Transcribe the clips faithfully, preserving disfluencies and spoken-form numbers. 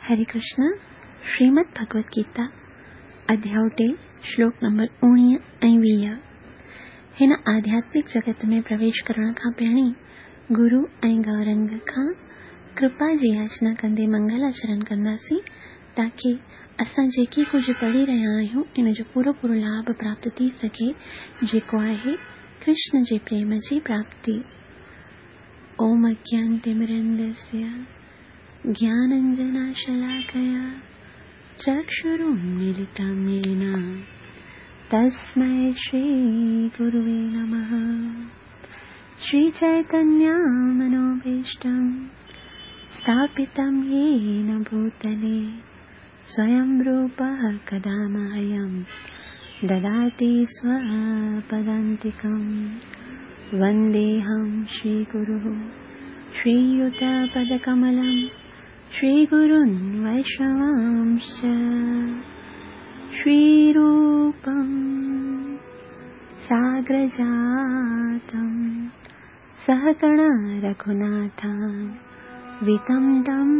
हरे कृष्ण। श्रीमद् भगवत गीता अध्याय टे श्लोक नंबर उणिवीह ऐं वीह। हिन आध्यात्मिक जगत में प्रवेश करण खां पहिरीं गुरु ऐं गौरंग खां कृपा जी याचना कंदे मंगल आचरण कंदासीं ताकी असां जेकी कुझु पढ़ी रहिया आहियूं इन जो पूरो पूरो लाभ प्राप्त थी सघे, जेको आहे कृष्ण जे प्रेम जी प्राप्ति। ओम अज्ञानतिमिरन्धस्य ज्ञानाञ्जनशलाकया चक्षुरुन्मीलितं येन तस्मै श्रीगुरुवे नमः। श्रीचैतन्यमनोभीष्टं स्थापितं येन भूतले स्वयं रूपः कदा मह्यं ददाति स्वपदान्तिकं। वन्देऽहं श्रीगुरुः श्रीयुतपदकमलं श्रीगुरुन् वैष्णवांश्च। श्रीरूपं साग्रजातं सहगण रघुनाथान्वितं तं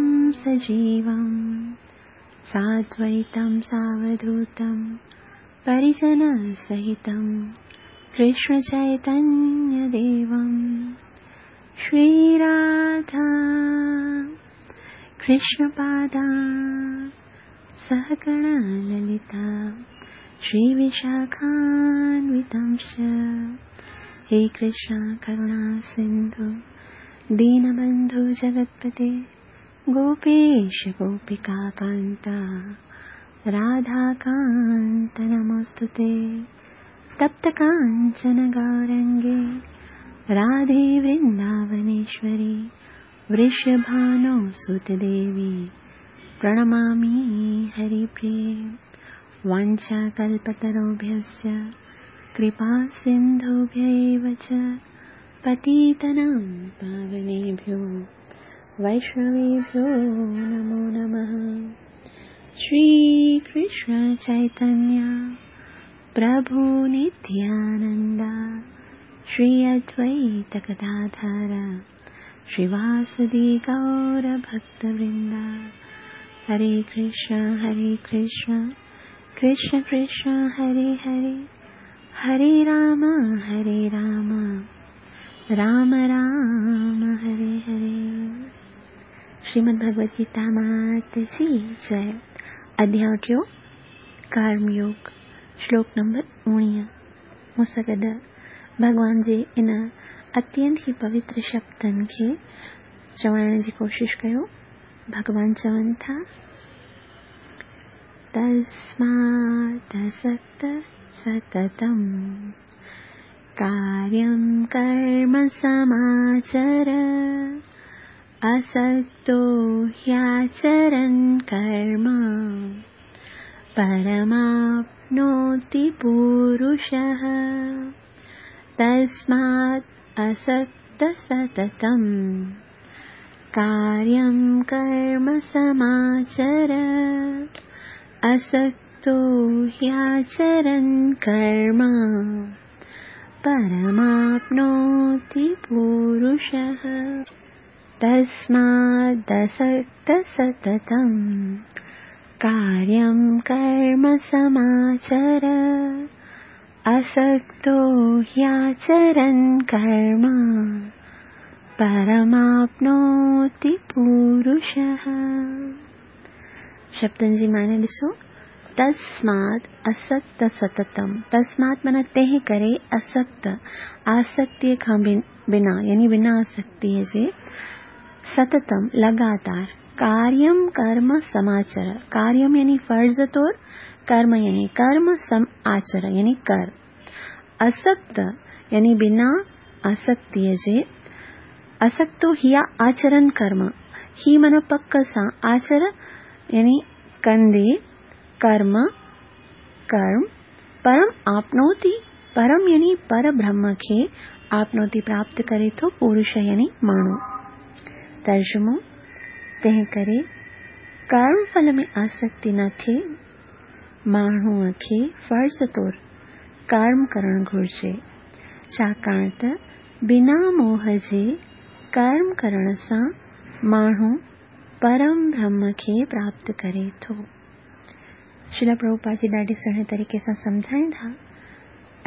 सजीवं साद्वैतं सावधूतं परिजनसहितं कृष्णचैतन्यदेवं। श्रीराधा कृष्णपादा सहगण ललिता श्रीविशाखान्वितांश्च। हे कृष्ण करुणा सिन्धु दीनबन्धु जगत्पते गोपेश गोपिका कान्ता राधाकान्त नमोऽस्तुते। तप्त काञ्चन गौरङ्गे राधे वृन्दावनेश्वरी वृषभानो सुतदेवी प्रणमामि हरिप्रिये। वाञ्छाकल्पतरुभ्यश्च कृपा सिन्धुभ्य एव च पतितानां पावनेभ्यो वैष्णवेभ्यो नमो नमः। श्रीकृष्ण चैतन्य प्रभु नित्यानन्द श्री अद्वैत गदाधर श्रीवासदि गौरभक्तवृन्द। हरे कृष्ण हरे कृष्ण कृष्ण कृष्ण हरे हरे, हरे राम हरे राम राम राम हरे हरे। श्रीमद् भगवत गीता मात जी जय। अध्याय टियों कर्मयोग श्लोक नंबर उणिवीह। मूं सां गॾु भॻवान जे इन अत्यंत ई पवित्र शब्दनि खे चवण जी कोशिश कयो। भॻवान चवनि था, तस्मात् असक्त सततं कार्यं कर्म समाचर असक्तो ह्याचरन् कर्म परमाप्नोति पुरुषः। तस्मात् असक्त सततं कार्यं कर्म समाचर असक्तो ह्याचरन् कर्म परमाप्नोति पुरुषः। तस्मादसक्त सततं कार्यं कर्म समाचर असक्तो ह्याचरन् कर्म परमाप्नोति पुरुषः। शब्दनि जी माने ॾिसो, तस्मात् असक्त सततम। तस्मात् माना तंहिं करे असक्त, आसक्तीअ खां बिना, यानी बिना आसक्तीअ जे, सततम लगातार, कार्यम कर्म समाचर। कार्यम यानी फ़र्ज़ तौर, कर्म यानी कर्म, सम आचर यानी कर। असक्त यानी बिना आसक्तीअ जे, असक्तो हिया आचरण कर्म, ही माना पक सां, आचर यानी कंदे, कर्म कर्म, परम आपनोति, परम यानी पर ब्रह्म खे आपनोति प्राप्त करे थो पुरुष यानी माण्हू। तर्जुमो, तंहिं करे कर्म फल में आसक्ति न थिए, माण्हूअ खे फ़र्ज़ तौर कर्म करणु घुर्जे, छाकाणि त बिना मोह जे कर्म करण सां माण्हू परम ब्रह्म खे प्राप्त करे थो। श्रील प्रभुपाद जी ॾाढे सुहिणे तरीक़े सां सम्झाईंदा।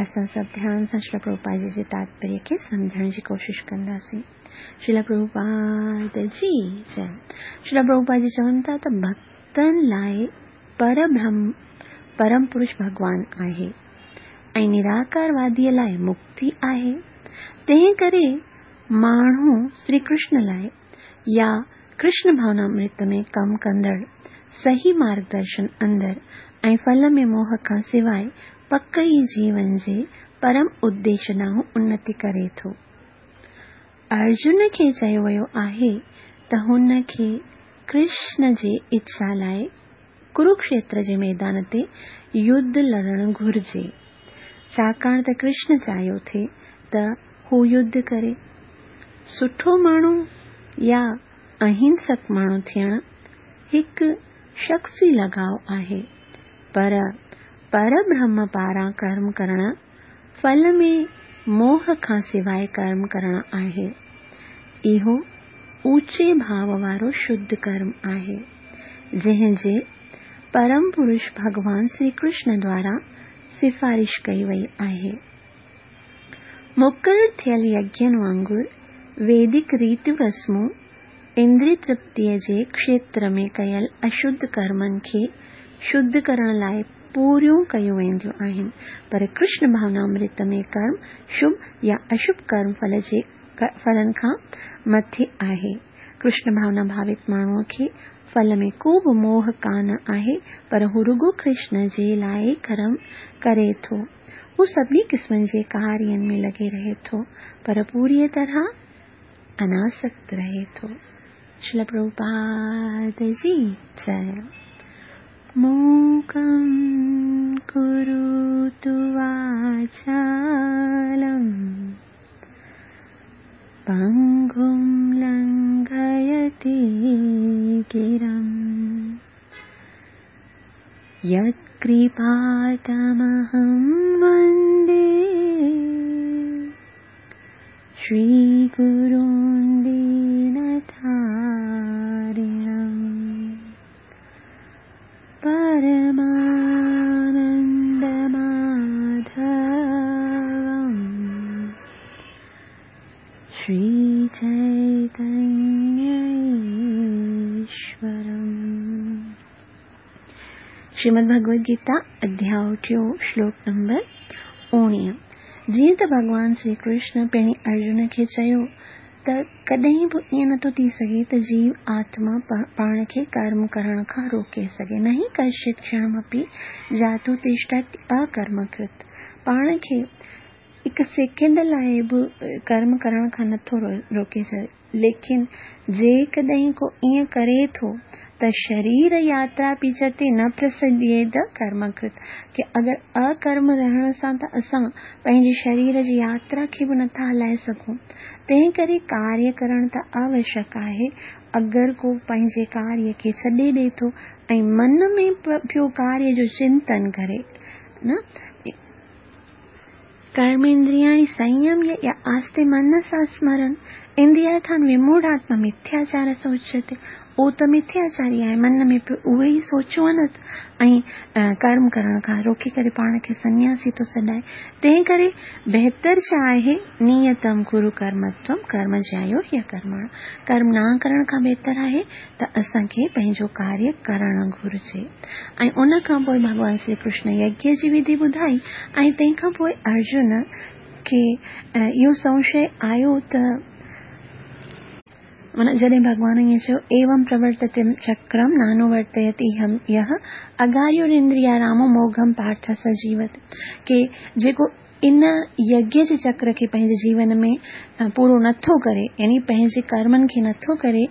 असां सभु ध्यान सां श्रील प्रभुपाद जी जे तात्पर्य खे सम्झण जी कोशिश कंदासीं। श्रील प्रभुपाद जी जय। श्रील प्रभुपाद जी चवनि था त भक्तनि लाइ परब्रह्म परम पुरुष भॻवान आहे ऐं निराकारवादीअ लाइ मुक्ति आहे। तंहिं करे माण्हू श्री कृष्ण लाइ या कृष्ण भावनामृत में कमु कंदड़ सही मार्गदर्शन अंदरि ऐं फल में मोह खां सवाइ पक ई जीवन जे परम उद्देश्य ॾांहुं उन्नति करे थो। अर्जुन खे चयो वियो आहे त हुन खे कृष्ण जे इच्छा लाइ कुरुक्षेत्र जे मैदान ते युद्ध लड़णु घुर्जे, छाकाणि त कृष्ण चाहियो थे त हू युद्ध करे। सुठो माण्हू या अहिंसक माण्हू थियणु हिकु शख़्सी लॻाव आहे, पर परब्रह्म पारां कर्म करणु फल में मोह खां सवाइ कर्म करणु आहे। इहो ऊंचे भाव वारो शुद्ध कर्म आहे, जंहिं जे परम पुरुष भॻवान श्री कृष्ण द्वारा सिफारिश कई वई आहे। मुक़ररु थियल यज्ञनि वांगुरु वैदिक रीतियूं रस्मूं इंद्रिय तृप्तीअ जे क्षेत्र में कयल अशुद्ध कर्मनि खे शुद्ध करण लाइ पूरियूं कयूं वेंदियूं आहिनि, पर कृष्ण भावनामृत में कर्म शुभ या अशुभ कर्म फल जे फलनि खां मथे आहे। कृष्ण भावना भावित माण्हूअ खे फल में को बि मोह कान आहे, पर हू रुगो कृष्ण जे लाइ कर्म करे थो। हू सभिनी क़िस्मनि जे कार्यनि में लॻे रहे थो, पर पूरीअ तरह अनासक्त रहे थो। श्रील प्रभुपाद जी जय। मूकं करोतु वाचालं पंगुं लंघयते गिरं यत्कृपातमहं वन्दे श्रीगुरुं दीनतारिणं परमानन्दमाधवं श्रीचैतन्यईश्वरम्। श्रीमद् भगवद गीता अध्याय टियों श्लोक नंबर उणिवीह। जीअं त भॻवान श्री कृष्ण पिणी अर्जुन खे चयो त कॾहिं बि ईअं नथो थी सघे त जीव आत्मा पाण खे कर्म करण खां रोके सघे। न ही कश्चित् क्षणमपि जातु तिष्ठति अकर्मकृत। पाण खे हिकु सेकंड लाइ बि कर्म करण खां नथो रोके सघे, लेकिन जेकॾहिं को ईअं करे थो त शरीर यात्रा पीछते न प्रसज्येत कर्मकृत, की अगरि अकर्म रहण सां त असां पंहिंजे शरीर जी यात्रा खे बि नथा हलाए सघूं। तंहिं करे कार्य करण त आवश्यक आहे। अगरि को पंहिंजे कार्य खे छॾे ॾिए थो ऐं मन में पियो कार्य जो चिंतन करे न, कर्मेंद्रियाणि संयम्य या आस्ते मनसा स्मरन् इंद्रियार्थान् विमूढ़ात्मा मिथ्याचार स उच्यते। उहो त मिथ्याचारी आहे, मन में पियो उहे ई सोचूं आहिनि ऐं कर्म करण खां रोकी करे पाण खे सन्यासी थो सॾाए। तंहिं करे बहितर छा आहे, नियतम कुरु कर्म त्वं कर्म ज्यायो ह्यकर्मण। कर्म न करण खां बहितर आहे त असांखे पंहिंजो कार्य करणु घुरिजे। ऐं उन खां पोइ भॻवान श्री कृष्ण यज्ञ जी विधि ॿुधाई ऐं तंहिंखां पोइ अर्जुन खे इहो संशय आयो त माना जॾहिं भॻवान ईअं चयो एवं प्रवर्तते चक्रम नानुवर्तयति यः अगार्युरिंद्रियारामो मोघम पार्थ स जीवत, के जेको इन यज्ञ जे चक्र खे पंहिंजे जीवन में पूरो नथो करे, यानी पंहिंजे कर्मनि खे नथो करे,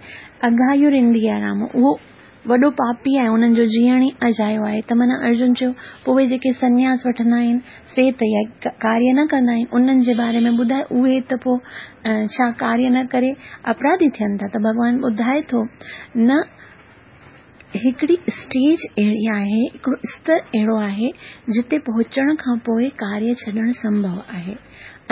अगायुरिंद्रियारामो उहो वॾो पापी आहे, उन्हनि जो जीअण ई अजायो आहे। त माना अर्जुन चयो पोइ उहे जेके सन्यास वठंदा आहिनि से त कार्य न कंदा आहिनि, उन्हनि जे बारे में ॿुधाए, उहे त पोइ छा कार्य न करे अपराधी थियनि था। त भॻवान ॿुधाए थो न, हिकिड़ी स्टेज अहिड़ी आहे, हिकिड़ो स्तर अहिड़ो आहे जिते पहुचण खां पोइ कार्य छॾणु संभव आहे।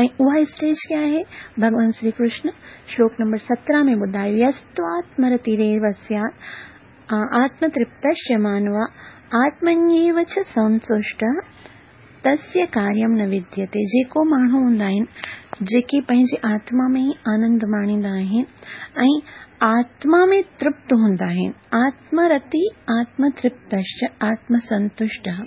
ऐं उहा स्टेज क्या आहे? भॻवान श्री कृष्ण श्लोक नंबर सत्रहं में ॿुधायो, यस्त्वात्मरतिरेव स्यात् आत्मतृप्तस्य मानव आत्मन्येव च संतुष्टः तस्य कार्यं न विद्यते। जेको माण्हू हूंदा आहिनि जेके पंहिंजे आत्मा में ई आनंद माणींदा आहिनि ऐं आत्मा में तृप्त हूंदा आहिनि, आत्मरति आत्मतृप्तश्च आत्मसंतुष्टः,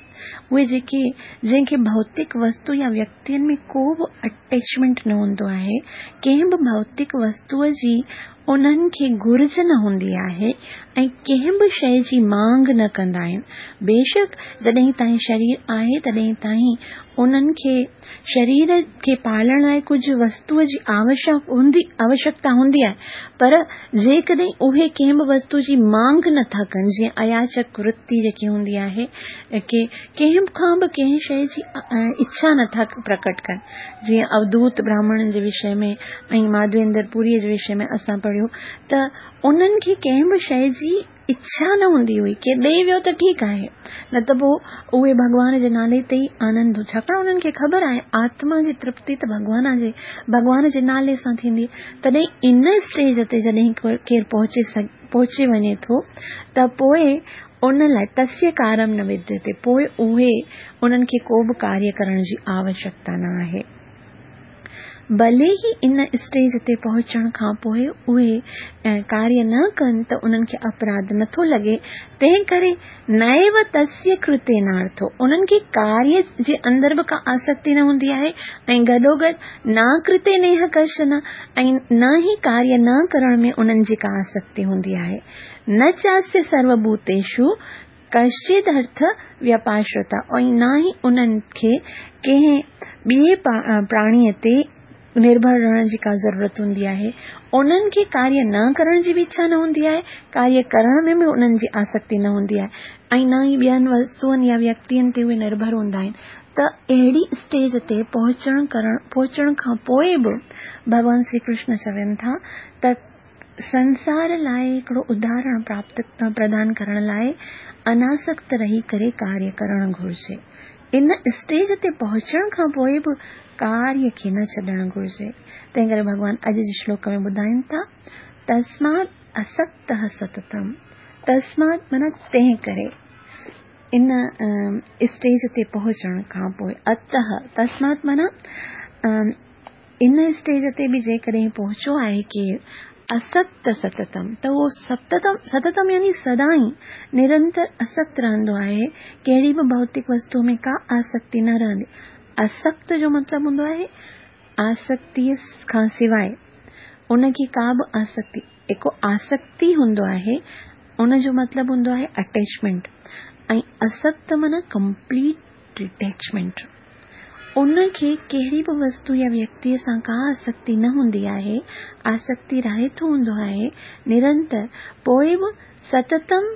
उहे जेके जंहिंखे भौतिक वस्तु या व्यक्तियुनि में को बि अटैचमेंट न हूंदो आहे, कंहिं बि भौतिक वस्तूअ जी उन्हनि खे घुर्ज न हूंदी आहे ऐं कंहिं बि शइ जी मांग न कंदा आहिनि। बेशक जॾहिं ताईं शरीर आहे तॾहिं ताईं उन्हनि खे शरीर खे पालण लाइ कुझु वस्तूअ जी आवश्यक हूंदी आवश्यकता हूंदी आहे, पर जेकॾहिं उहे कंहिं बि वस्तू जी मांग नथा कनि, जीअं अयाचक वृत्ति जेकी हूंदी आहे की कंहिं खां बि कंहिं शइ जी इच्छा नथा प्रकट कनि, जीअं अवधूत ब्राह्मणनि जे विषय में ऐं माधवेंद्र पुरीअ जे विषय में असां पढ़ियो त उन्हनि खे कंहिं बि शइ जी इच्छा न हूंदी हुई, के ॾेई वियो त ठीकु आहे, न त पोइ उहे भॻवान जे नाले ते ई आनंद, छाकाणि उन्हनि खे ख़बर आहे आत्मा जी तृप्ति त भॻवान जे भॻवान जे नाले सां थींदी। तॾहिं इन स्टेज ते जॾहिं केरु पहुचे पहुची वञे थो त पोइ उन लाइ तस्य कार्यं न विद्यते, पोइ उहे उन्हनि खे को बि कार्य करण जी आवश्यकता न आहे। भले ई इन स्टेज ते पहुचण खां पोइ उहे कार्य न कनि त उन्हनि खे अपराध नथो लॻे, तंहिं करे नैव तस्य कृते नार्थो, उन्हनि खे कार्य जे अंदरि बि का आसक्ति न हूंदी आहे ऐं गॾोगॾु न कृते नेह कश्चन, ऐं न ई कार्य न करण में उन्हनि जी का आसक्ति हूंदी आहे। न चास्य सर्वभूतेषु कश्चित् अर्थ व्यापाश्रता, ऐं न ई उन्हनि खे कंहिं ॿिए प्राणीअ ते निर्भर रहण जी का ज़रूरत हूंदी आहे। उन्हनि खे कार्य न करण जी बि इच्छा न हूंदी आहे, कार्य करण में बि उन्हनि जी आसक्ति न हूंदी आहे ऐं न ई ॿियनि वस्तुअनि या व्यक्तियुनि ते उहे निर्भर हूंदा आहिनि। त अहिड़ी स्टेज ते पहुचण करण पहुचण खां पोइ बि भॻवान श्री कृष्ण चवनि था त संसार लाइ हिकिड़ो उदाहरण प्राप्त प्रदान करण लाइ अनासक्त रही करे कार्य करण घुर्जे। इन स्टेज ते पहुचण खां पोइ बि कार्य खे न छॾणु घुर्जे। तंहिं करे भॻवान अॼु जे श्लोक में ॿुधाइनि था, तस्मात् असक्तः सततम, तस्मात् माना तंहिं करे इन स्टेज ते पहुचण खां पोइ, अतः तस्मात् माना इन स्टेज ते बि जेकॾहिं पहुचो आहे केरु असक्त सततम, त उहो सततम सततम यानी सदाई निरंतर असक्त रहंदो आहे, कहिड़ी बि भौतिक वस्तू में का आसक्ति न रहंदी। असक्त जो मतिलबु हूंदो आहे आसक्तीअ खां सवाइ उनखे का बि आसक्ति, हिकु आसक्ति हूंदो आहे उनजो मतिलबु हूंदो आहे अटैचमेंट, ऐं असक्त माना कंप्लीट डिटैचमेंट। उनखे कहिड़ी बि वस्तू या व्यक्तीअ सां का आसक्ति न हूंदी आहे, आसक्ति रहित हूंदो आहे निरंतर, पोइ बि सततम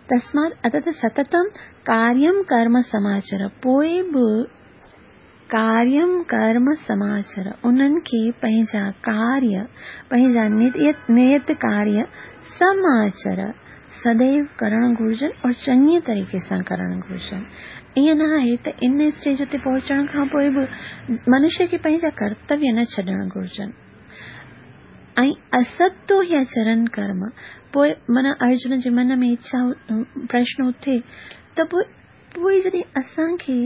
तस्मात् अतः सततम कार्यं कर्म समाचर, पोइ बि कार्यं कर्म समाचर, उन्हनि खे पंहिंजा कार्य पंहिंजा नियत नियत कार्य समाचर सदैव करणु घुर्जनि और चङी तरीक़े सां करणु घुर्जनि। ईअं न आहे त इन स्टेज ते पहुचण खां पोइ बि मनुष्य खे पंहिंजा कर्तव्य न छॾणु घुर्जनि। ऐं असक्तो या चरण कर्म, पोइ माना अर्जुन जे मन में इच्छा प्रश्न उथे त पोइ पोइ जॾहिं असांखे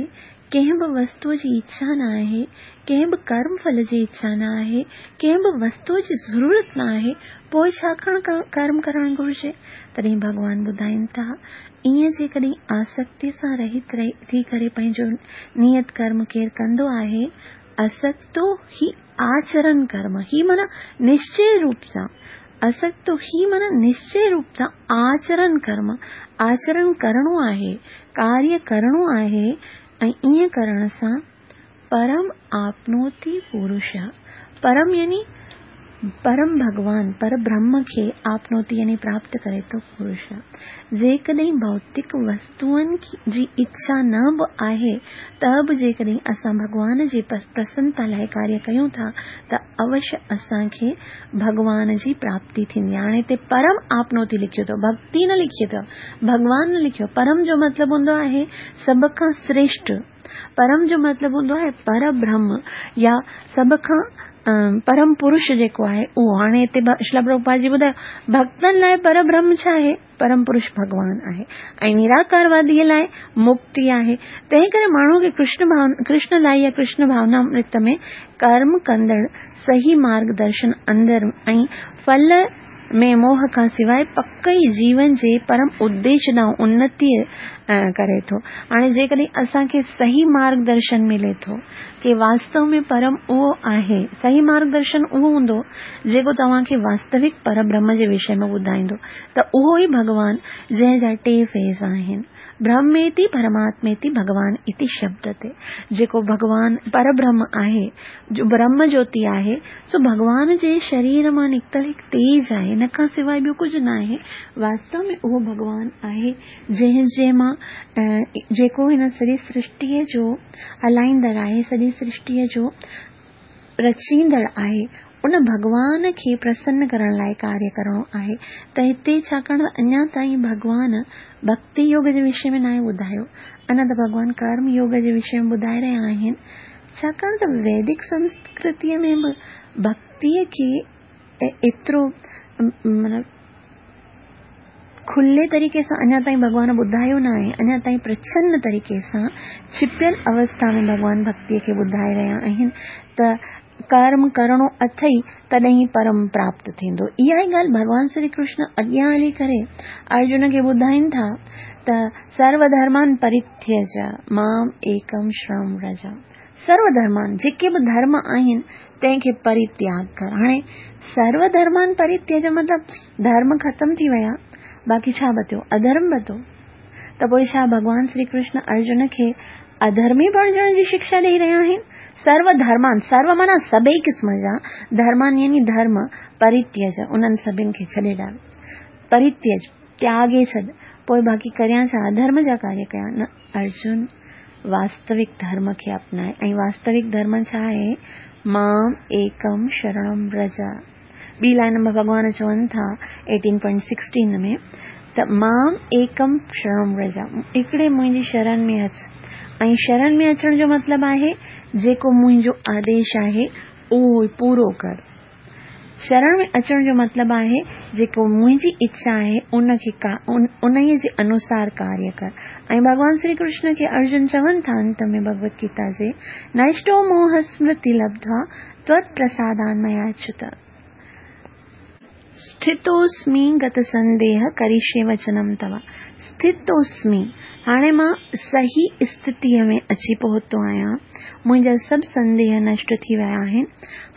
कंहिं बि वस्तूअ जी इच्छा न आहे, कंहिं बि कर्म फल जी इच्छा न आहे, कंहिं बि वस्तूअ जी ज़रूरत न आहे, पोइ छा कर्म करणु घुर्जे? तॾहिं भॻवान ॿुधाइनि था, ईअं जेकॾहिं आसक्ति सां रहित थी करे पंहिंजो नियत कर्म केरु कंदो आहे, असक्तो ही आचरण कर्म, ही माना निश्चय रूप सां, असक्तो ही माना निश्चय रूप सां आचरण कर्म, आचरण करणो आहे, कार्य करणो आहे, ऐं ईअं करण सां परम आपनोति पुरुष, परम यानी परम भॻवान पर ब्रह्म खे आपनोति यानी प्राप्त करे थो पुरुष। जेकॾहिं भौतिक वस्तुअनि जी इच्छा न बि आहे त बि जेकॾहिं असां भॻवान जी प्रसन्नता लाइ कार्य कयूं था त अवश्य असांखे भॻवान जी प्राप्ति थींदी। हाणे हिते परम आपनोति लिखियो अथव, भक्ति न लिखी अथव, भॻवान न लिखियो। परम जो मतिलबु हूंदो आहे सभ खां श्रेष्ठ, परम जो मतिलबु हूंदो आहे पर ब्रह्म या सभ खां परम पुरुष जेको आहे उहो। हाणे हिते श्रील प्रभुपाद जी ॿुधायो भक्तनि लाइ पर ब्रह्म छा आहे? परम पुरुष भॻवान आहे ऐं निराकारवादीअ लाइ मुक्ति आहे। तंहिं करे माण्हू खे कृष्ण भावना, कृष्ण लाइ या कृष्ण भावनामृत में कर्म कंदड़ सही मार्गदर्शन अंदरि ऐं फल में मोह खां सवाइ पक ई जीवन जे परम उद्देश्य ॾांहुं उन्नति करे थो। हाणे जेकॾहिं असांखे सही मार्गदर्शन मिले थो की वास्तव में परम उहो आहे, सही मार्गदर्शन उहो हूंदो जेको तव्हांखे वास्तविक पर ब्रह्म जे विषय में ॿुधाईंदो, त उहो ई भॻवान जंहिंजा टे फेज़ आहिनि, ब्रह्मेति परमात्मेति भगवान इति शब्द ते। जेको भॻवान पर ब्रह्म आहे, जो ब्रह्म ज्योति आहे, सो भॻवान जे शरीर मां निकितल हिकु तेज आहे, हिन खां सवाइ ॿियो कुझु न आहे। वास्तव में उहो भॻवान आहे जंहिं जे मां जेको हिन सॼी सृष्टीअ जो हलाईंदड़ आहे, सॼी सृष्टीअ जो रचींदड़ आहे, उन भॻवान खे प्रसन्न करण लाइ कार्य करिणो आहे। त हिते छाकाणि त अञा ताईं भॻवान भक्ति योग जे विषय में नाहे ॿुधायो, अञा त भॻवान कर्म योग जे विषय में ॿुधाए रहिया आहिनि। छाकाणि त वैदिक संस्कृतीअ में बि भक्तीअ खे एतिरो माना खुले तरीक़े सां अञा ताईं भॻवान ॿुधायो न आहे, अञा ताईं प्रछन्न तरीक़े सां छिपियल अवस्था में भॻवान भक्तीअ खे ॿुधाए रहिया आहिनि त कर्म करिणो अथई तॾहिं परम प्राप्त थींदो। इहा ई ॻाल्हि भॻवान श्री कृष्ण अॻियां हली करे अर्जुन खे ॿुधाइनि था त सर्वधर्मान परित्यज माम एकम शरणं व्रज। सर्वधर्मान जेके बि धर्म आहिनि तंहिंखे परित्याग कर। हाणे सर्वधर्मान परित्यज मतिलबु धर्म ख़तमु थी विया, बाक़ी छा बचियो? अधर्म बचियो। त पोइ छा भॻवान श्री कृष्ण अर्जुन खे अधर्मी बणिजण जी शिक्षा ॾेई रहिया आहिनि? सर्वधर्मान, सर्व माना सभई क़िस्म जा, धर्मान यानी धर्म, परित्यज उन्हनि सभिनि खे छॾे ॾाल, परित्यज त्यागे छॾ, पोइ बाक़ी करियां छा? अधर्म जा कार्य कयां? न, अर्जुन वास्तविक धर्म खे अपनाए। ऐं वास्तविक धर्म छा आहे? माम एकम शरणं व्रज। ॿी लाइन में भॻवान चवनि था एटीन पॉइंट सिक्सटीन में त माम एकम शरणं व्रज, हिकिड़े मुंहिंजी शरण में अच। ऐं शरण में अचण जो मतिलबु आहे जेको मुंहिंजो आदेश आहे उहो पूरो कर। शरण में अचण जो मतिलबु आहे जेको मुंहिंजी इच्छा आहे उनखे उन जे अनुसार कार्य कर। ऐं भॻवान श्री कृष्ण खे अर्जुन चवनि था अंत में भगवत गीता जे, नष्टो मोह स्मृति लब्ध्वा त्वत्प्रसादान् मयाच्युत स्थितोस्मि गत संदेह करिष्ये वचनम तव। स्थितोस्मि, हाणे मां सही स्थितीअ में अची पहुतो आहियां, मुंहिंजा सभु संदेह नष्ट थी विया आहिनि,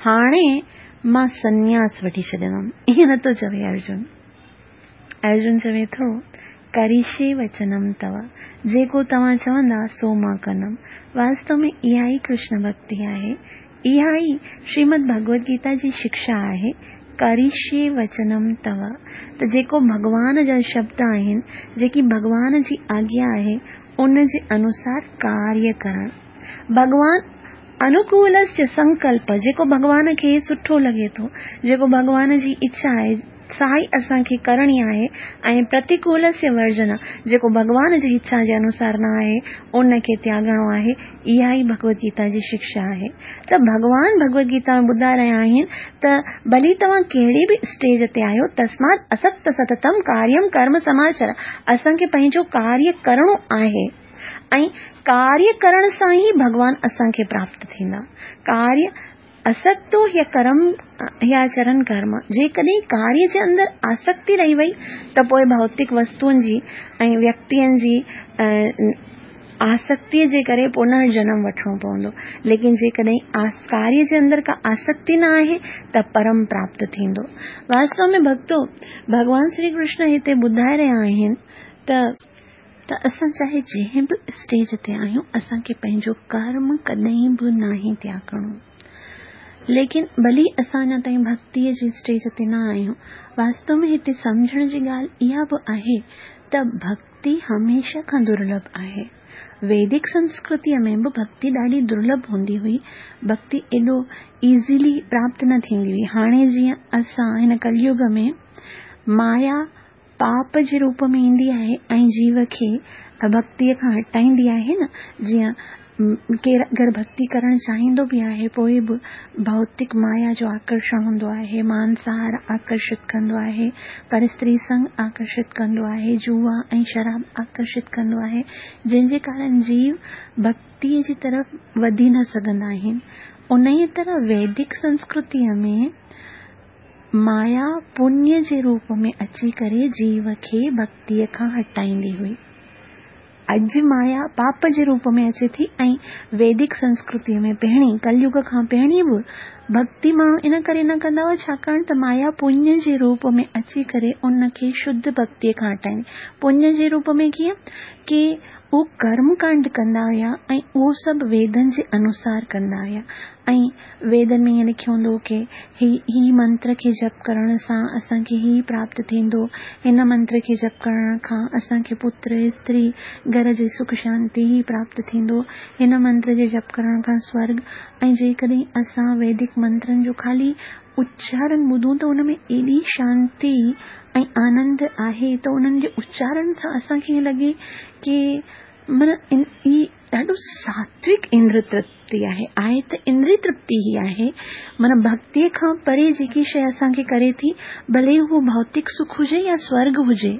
हाणे मां सन्यास वठी छॾींदमि। ईअं नथो चवे अर्जुन। अर्जुन चवे थो करिष्ये वचनम तव, जेको तव्हां चवंदा सो मां कंदमि। वास्तव में इहा ई कृष्ण भक्ति आहे, इहा ई श्रीमद भगवद गीता जी शिक्षा आहे, करिष्ये वचनम तव। त जेको भॻवान जा शब्द आहिनि, जेकी भॻवान जी आज्ञा आहे, उन जे अनुसार कार्य करणु। भॻवान अनुकूलस्य संकल्प, जेको भॻवान खे सुठो लॻे थो, जेको भॻवान जी इच्छा आहे सा ई असांखे करणी आहे, ऐं प्रतिकूलस्य वर्जन, जेको भॻवान जी इच्छा जे अनुसार न आहे उनखे त्यागणो आहे। इहा ई भगवद गीता जी शिक्षा आहे। त भॻवान भगवद गीता में ॿुधाए रहिया आहिनि त भली तव्हां कहिड़ी बि स्टेज ते आहियो, तस्मात् असक्त सततम कार्यम कर्म समाचर, असांखे पंहिंजो कार्य करिणो आहे ऐं कार्य करण सां ई भॻवान असांखे प्राप्त थींदा। कार्य असक्तो ह्य कर्म ह्याचरण कर्म, जेकॾहिं कार्य जे अंदरि आसक्ति रही वई त पोइ भौतिक वस्तुअनि जी ऐं व्यक्तियुनि जी आसक्तिअ जे करे पुनर्जन्म वठिणो पवंदो। लेकिन जेकॾहिं कार्य जे अंदरि का आसक्ति न आहे त परम प्राप्त थींदो। वास्तव में भक्तो, भॻवान श्री कृष्ण हिते ॿुधाए रहिया आहिनि त त असां चाहे जंहिं बि स्टेज ते आहियूं, असांखे पंहिंजो कर्म कॾहिं बि नाहे त्यागणो। ليڪن ڀلي اسان اڃا تائين ڀڳتيءَ جي اسٽيج تي نه آهيون. واستو ۾ هتي سمجهڻ جي ڳالهه اها به آهي ته ڀڳتي هميشه کان درلڀ آهي. ويدڪ سنسڪرتيءَ ۾ به ڀڳتي ڏاڍي درلڀ هوندي هئي. ڀڳتي ايڏو ايزيلي پراپت نه ٿيندي هئي. هاڻي جيئن اسان هن ڪليگ ۾ مايا پاپ جي روپ ۾ ايندي آهي ۽ جيو کي ڀڳتيءَ کان هٽائيندي آهي نه، جيئن ڪير اگر ڀڳتي ڪرڻ چاهيندو به آهي پوءِ به ڀوتڪ مايا جو آڪرشڻ هوندو آهي، مانساهار آڪرشت ڪندو آهي، پر استري سنگ آڪرشت ڪندو آهي، جوا ۽ شراب آڪرشت ڪندو آهي، جنهن جي ڪارڻ جيو ڀڳتيءَ جي طرف وڌي نه سگهندا آهن. ان ئي طرح ويدڪ سنسڪرتيءَ ۾ مايا پڃ جي روپ ۾ اچي ڪري جيو کي ڀڳتيءَ کان هٽائيندي هئي. اڄ مايا پاپ جي روپ ۾ اچي ٿي ۽ ويدڪ سنسڪرتيءَ ۾ پهرين ڪليگ کان پهرين به ڀڳتي ماڻهو ان ڪري نه ڪندا هئا ڇاڪاڻ ته مايا پڃ جي روپ ۾ اچي ڪري ان کي شڌ ڀڳتيءَ کان هٽائيندي. پڃ جي روپ ۾ ڪيئن ڪه اهو ڪرم ڪانڊ ڪندا هئا ۽ اهو سڀ ويدن جي انوسار ڪندا هئا ۽ ويدن ۾ ائين لکيو هوندو هو ڪه هي هي منتر کي جپ ڪرڻ سان اسان کي هي پراپت ٿيندو، هن منتر کي جپ ڪرڻ کان اسان کي پتر استري گهر جي سک شانتي هي پراپت ٿيندو، هن منتر جي جپ ڪرڻ کان سورڳ. ۽ جيڪڏهن اسان ويدڪ منترن جو خالي اچارڻ ٻڌون ته ان ۾ ايڏي شانتي ۽ آنند آهي ته انهن جي اچارڻ سان اسان کي ائين لڳي ڪه معنيٰ هي ڏاڍو ساتوڪ اندر ترپتي آهي. آهي ته اندري ترپتي ئي آهي، معنيٰ ڀڳتيءَ کان پري جيڪي شيءِ اسان کي ڪري ٿي، ڀلي اهو ڀوتڪ سک هجي يا سورڳ هجي،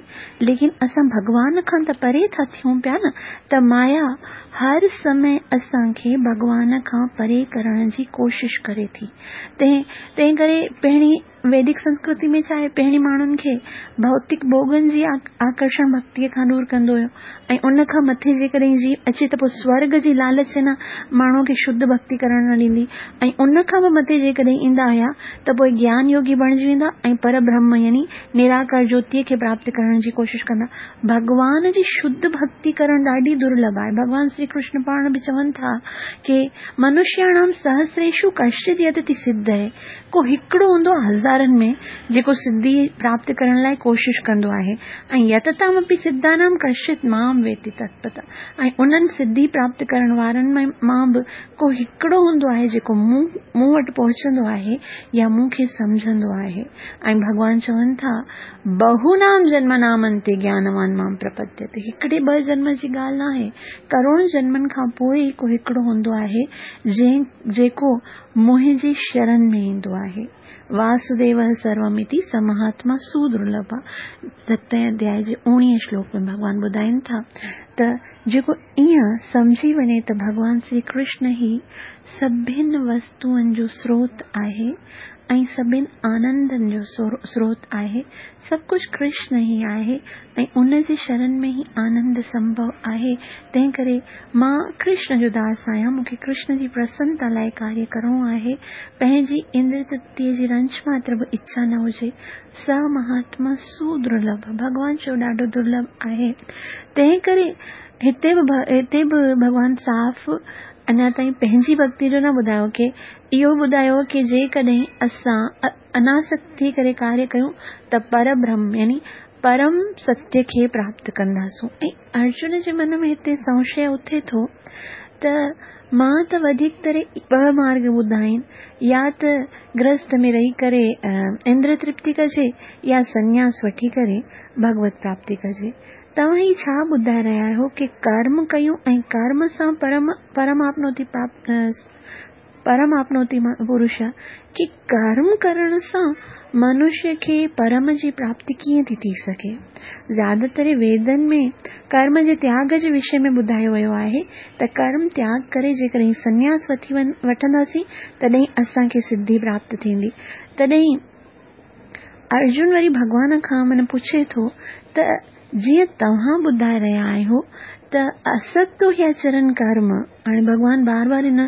ليڪن اسان ڀڳوان کان ته پري ٿا ٿيون پيا نه. ته مايا هر سمي اسان کي ڀڳوان کان پري ڪرڻ جي ڪوشش ڪري ٿي. تنهن تنهن ڪري پهرين ويدڪ سنسڪرتي ۾ ڇا آهي، پهرين ماڻهن کي ڀوتڪ ڀوڳن جي آڪرشڻ ڀڳتيءَ کان دور ڪندو هيو ۽ ان کان مٿي جيڪڏهن جيو اچي ته پوءِ سورڳ جي لالچ نه ماڻهوءَ کي شڌ ڀڳتي ڪرڻ نه ڏيندي ۽ ان کان به مٿي جيڪڏهن ايندا هئا ته پوءِ گيان يوگي بڻجي ويندا ۽ پر برهم يعني نراڪار جيوتيءَ کي پراپت ڪرڻ جي ڪوشش ڪندا. ڀڳوان جي شڌ ڀڳتي ڪرڻ ڏاڍي درلڀ آهي. ڀڳوان شري ڪرشن پاڻ به چون ٿا ڪه منشياڻام سهسريشو ڪشچت يتتي سڌ آهي، ڪو هڪڙو هوندو آهي هزارن ۾ جيڪو سڌي پراپت ڪرڻ لاءِ ڪوشش ڪندو آهي ۽ يتتامپي سڌانام ڪشچت مام ويتي تتپت، ۽ انهن سڌي پراپت ڪرڻ وارن ۾ مان به ڪو هڪڙو هوندو آهي جيڪو مون مون وٽ پهچندو آهي يا مون کي سمجهندو آهي. ۽ ڀڳوان چون ٿا بهونام جنم نامنتي گيانوان مام پرپديتي. هڪڙي ٻه جنم جي ڳالهه نه آهي، ڪروڙ جنمن کان پوءِ ئي ڪو هڪڙو هوندو آهي جنهن جيڪو منهنجي شرڻ ۾ ايندو آهي. واسديو سرومتي سمهاتما سدرلڀ. ستين اڌياءِ جي اڻويهه شلوڪ ۾ ڀڳوان ٻڌائين ٿا ته جيڪو ائين سمجهي وڃي ته ڀڳوان شري ڪرشن ئي سڀني وستوئن جو سروت آهي ۽ سڀني آنندن جو سروت آهي، سڀ ڪجهه ڪرشن ئي آهي ۽ ان جي شرڻ ۾ ئي آنند سنڀو آهي، تنهن ڪري مان ڪرشن جو داس آهيان، مون کي ڪرشن جي پرسنتا لاءِ ڪاريه ڪرڻو آهي، پنهنجي اندر ترپتيءَ جي رنچ ماتر به اڇا نه هجي. س مهاتما سدرلڀ، ڀڳوان چيو ڏاڍو درلڀ آهي. تنهن ڪري هتي به هتي به ڀڳوان صاف اڃا تائين پنهنجي ڀڳتي جو نه ٻڌايو ڪه اهو ٻڌايو ڪه جيڪڏهن اسان اناسڪت ٿي ڪري ڪاريه ڪيون ته پر برهم يعني پرم ستيه کي پراپت ڪنداسون. ۽ ارجن جي من ۾ هتي سنشي اٿي ٿو ته مان ته وڌيڪ طرح ٻه مارگ ٻڌا آهن، يا ته گرهست ۾ رهي ڪري اندر ترپتي ڪجي يا سنياس وٺي ڪري ڀڳوت پراپتي ڪجي. توهان هي ڇا ٻڌائي رهيا آهيو ڪه ڪرم ڪيون ۽ ڪرم سان پرم پرم آپنوتي پراپت پرم آپنوتي پرش، ڪه ڪرم ڪرڻ سان منشيه کي پرم جي پراپتي ڪيئن ٿي ٿي سگهي؟ زياده تر ويدن ۾ ڪرم جي تياڳ جي وشي ۾ ٻڌايو ويو آهي ته ڪرم تياڳ ڪري جيڪڏهن سنياس وٺي وٺنداسين تڏهن اسان کي سڌي پراپت ٿيندي. تڏهن ارجن وري ڀڳوان کان من پڇي ٿو ته جيئن توهان ٻڌائي رهيا آهيو ته اسڪتو هي آچرن ڪرم، هاڻي ڀڳوان بار بار هن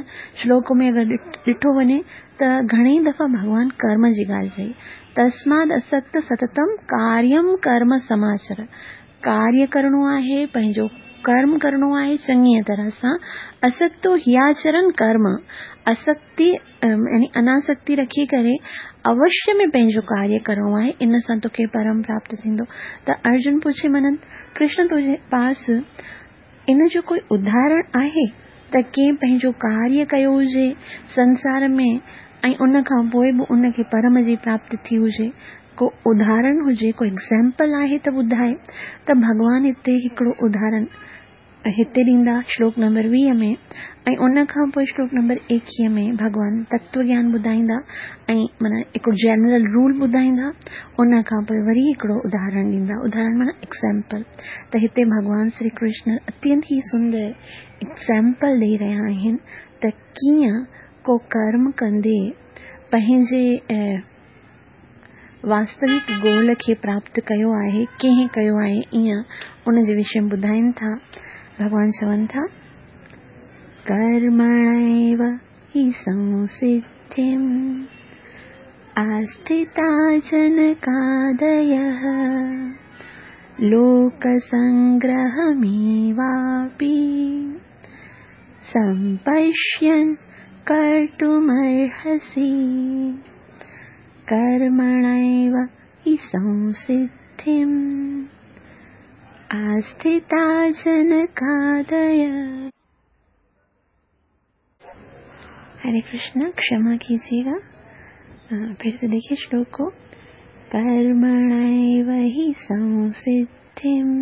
شلوڪ ۾ اگر ڏٺو وڃي ته گهڻي ئي دفعا ڀڳوان ڪرم جي ڳالهه ڪئي. تسماد اسڪت ستتم ڪاريم ڪرم سماچر، ڪاريه ڪرڻو آهي، پنهنجو कर्म करिणो आहे चङीअ तरह सां। असक्तो हियाचरण कर्म, असक्ति यानी अनासक्ति रखी करे अवश्य में पंहिंजो कार्य करिणो आहे, इन सां तोखे परम प्राप्त थींदो। त अर्जुन पुछे मनन कृष्ण तुंहिंजे पास इन जो कोई उदाहरण आहे त कंहिं पंहिंजो कार्य कयो हुजे संसार में ऐं उन खां पोइ बि उनखे परम जी प्राप्ति थी हुजे, को उदाहरण हुजे, को एग्ज़ाम्पल आहे त ॿुधाए। त भॻवान हिते हिकिड़ो उदाहरण हिते ॾींदा श्लोक नंबर वीह में ऐं उन खां पोइ श्लोक नंबर एकवीह में भॻवान तत्व ज्ञान ॿुधाईंदा ऐं माना हिकिड़ो जनरल रूल ॿुधाईंदा, उन खां पोइ वरी हिकिड़ो उदाहरण ॾींदा, उदाहरण माना एग्ज़ाम्पल। त हिते भॻवान श्री कृष्ण अत्यंत ई सुंदर एग्ज़ाम्पल ॾेई रहिया आहिनि त कीअं को कर्म कंदे पंहिंजे वास्तविक गोल खे प्राप्त कयो आहे, कंहिं कयो आहे, ईअं उन जे विषय में ॿुधाइनि था। भॻवान चवनि था कर्मणैव हि संसिद्धिम् आस्थिता जनकादयः लोकसंग्रहमेवापि संपश्यन् कर्तुमर्हसि। कर्मणैव हि संसिद्धिम् आस्थिता जनकादय। हरे कृष्ण, क्षमा कीजिएगा। फिर से देखिए श्लोक को। कर्मणैव हि संसिद्धिम्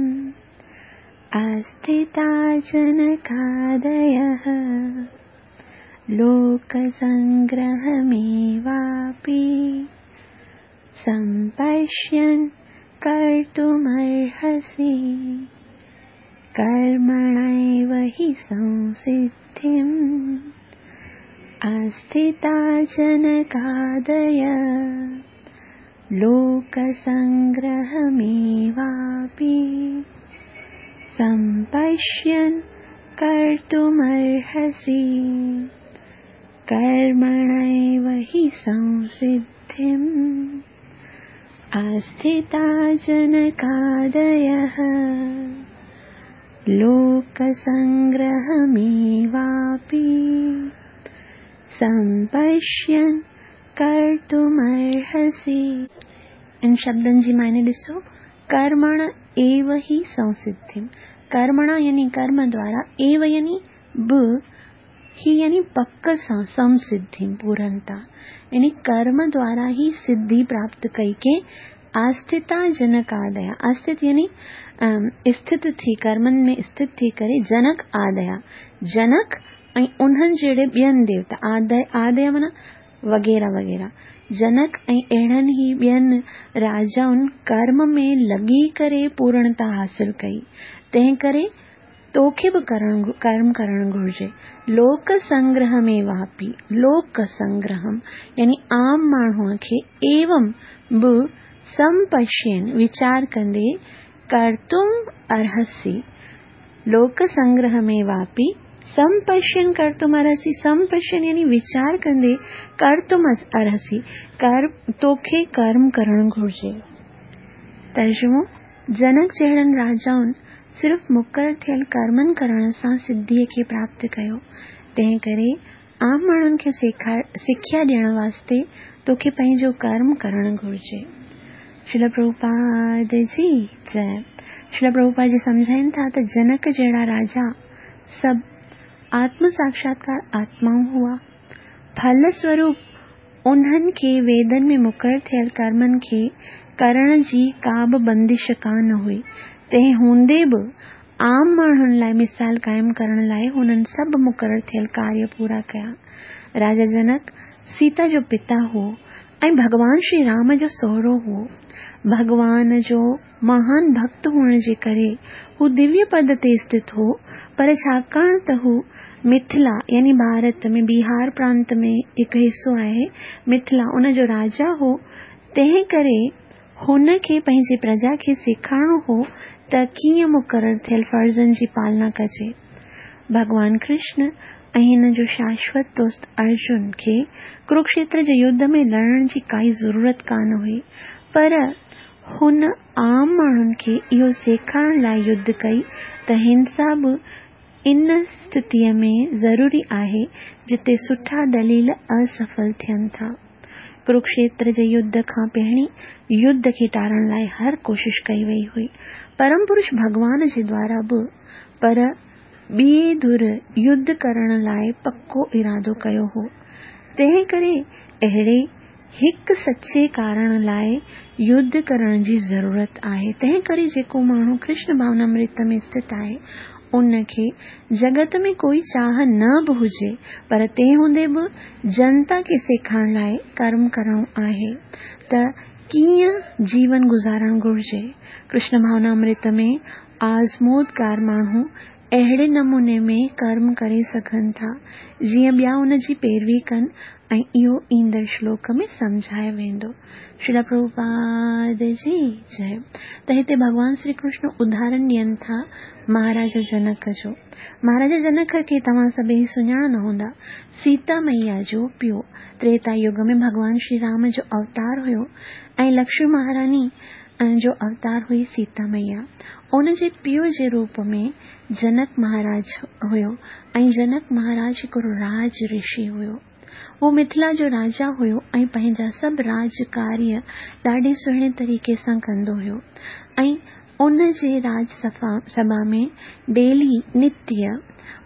आस्थिता जनकादयः लोकसंग्रहमेवापि संपश्यन् कर्तुमर्हसि। कर्मणैव हि संसिद्धिम् आस्थिता जनकादय लोकसंग्रहमेवापि संपश्यन् कर्तुमर्हसि। कर्मणैव हि संसिद्धिम् आस्थिता जनकादयः लोकसंग्रहमेवापि संपश्यन् कर्तुमर्हसि। इन शब्दनि जी मायने ॾिसो, कर्मण एव हि संसिद्धिम्, कर्मणा यानी कर्म द्वारा, एव यानी ब, ही यानी पक सां, संसिद्धिम् पूर्णता, यानी कर्म द्वारा ही सिद्धि प्राप्त कई के आस्थिता जनकादया, आस्थित यानी स्थित थी, कर्मनि में स्थित थी करे जनक आदया, जनक ऐं उन्हनि जहिड़े ॿियनि देवता, आदय आदय माना वग़ैरह वग़ैरह, जनक ऐं अहिड़नि ई ॿियनि राजाउनि कर्म में लॻी करे पूर्णता हासिल कई, तंहिं करे तोखे बि करण कर्म करणु घुर्जे। लोक संग्रह में वापी, लोक संग्रहम यानी आम माण्हूअ खे एवं बि संपश्यन वीचार कंदे कर्तुम अर्हसि। लोक संग्रह में वापी संपश्यन कर्तुम अर्हसि, संपश्यन यानी वीचार कंदे कर्तुम अर्हसि, कर तोखे कर्म करणु घुर्जे। तर्जुमो, जनक जहिड़नि राजाउनि सिर्फ़ मुक़ररु थियल कर्मनि करण सां सिद्धीअ खे प्राप्त कयो, तंहिं करे आम माण्हुनि खे सिख्या ॾियण वास्ते तोखे पंहिंजो कर्म करणु घुर्जे। श्रील प्रभुपाद जी जय। श्रील प्रभुपाद जी सम्झाइनि था त जनक जहिड़ा राजा सभु आत्म साक्षात्कार आत्माऊं हुआ, फल स्वरूप उन्हनि खे वेदनि में मुक़ररु थियल कर्मनि खे करण जी का बि बंदिश कान हुई, तंहिं हूंदे बि आम माण्हुनि लाइ मिसाल क़ाइमु करण लाइ हुननि सभु मुक़ररु थियल कार्य पूरा कया। राजा जनक सीता जो पिता हो ऐं भॻवान श्री राम जो सोहरो हो। भॻवान जो महान भक्त हुअण जे करे हू दिव्य पद ते स्थित हो, पर छाकाणि त हू मिथिला यानी भारत में बिहार प्रांत में हिकु हिसो आहे मिथिला, उन जो राजा हो, तंहिं करे हुनखे पंहिंजी प्रजा खे सेखारिणो हो त कीअं मुक़ररु थियल फ़र्ज़नि जी पालना कजे। भॻवान कृष्ण ऐं हिन जो शाश्वत दोस्त अर्जुन खे कुरुक्षेत्र जे युद्ध में लड़ण जी काई ज़रूरत कान हुई, पर هن عام ماڻهن کي اهو سيکارڻ لاءِ يڌ ڪئي ته هنسا به ان اسٿتيءَ ۾ ضروري آهي جتي سٺا دليل اسڦل ٿين ٿا. ڪروڪشيتر جي يڌ کان پهرين يڌ کي ٽارڻ لاءِ هر ڪوشش ڪئي وئي هئي، پرم پرش ڀڳوان جي دوارا به، پر ٻئي ڌر يڌ ڪرڻ لاءِ پڪو ارادو ڪيو هو. تنهن ڪري اهڙي هڪ سچي ڪارڻ لاءِ يڌ ڪرڻ جي ضرورت آهي. تنهن ڪري جيڪو ماڻهو ڪرشن ڀاونامرت ۾ اسٿت آهي، ان کي جڳت ۾ ڪوئي چاهه نه به هجي، پر تنهن هوندي به جنتا کي سيکارڻ لاءِ ڪرم ڪرڻو آهي ته ڪيئن جيون گذارڻ گهرجي. ڪرشن ڀاونامرت ۾ آزمودگار ماڻهو اهڙي نموني ۾ ڪرم ڪري سگهن ٿا جيئن ٻيا ان جي پيروي ڪن ۽ اهو ايندڙ شلوڪ ۾ سمجهايو ويندو. شريل پرڀوپاد جي جئي. ته هتي ڀڳوان شري ڪرشن اداهرڻ ڏين ٿا مهاراجا جنڪ جو. مهاراجا جنڪ کي توهان سڀئي سڃاڻندا هوندا. سيتا مئيا جو پيءُ تريتا يگ ۾ ڀڳوان شري رام جو اوتار هيو ۽ لڪشمي مهاراڻي جو اوتار هئي سيتا مئيا. ان جي پيءُ جي روپ ۾ جنڪ مهاراج هيو ۽ جنڪ مهاراج هڪڙو راج رشي هيو. هو مٿلا جو راجا هيو ۽ پنهنجا سڀ راج ڪاريه ڏاڍي سهڻي طريقي سان ڪندو هيو ۽ ان جي راج سڀا ۾ ڊيلي نتيه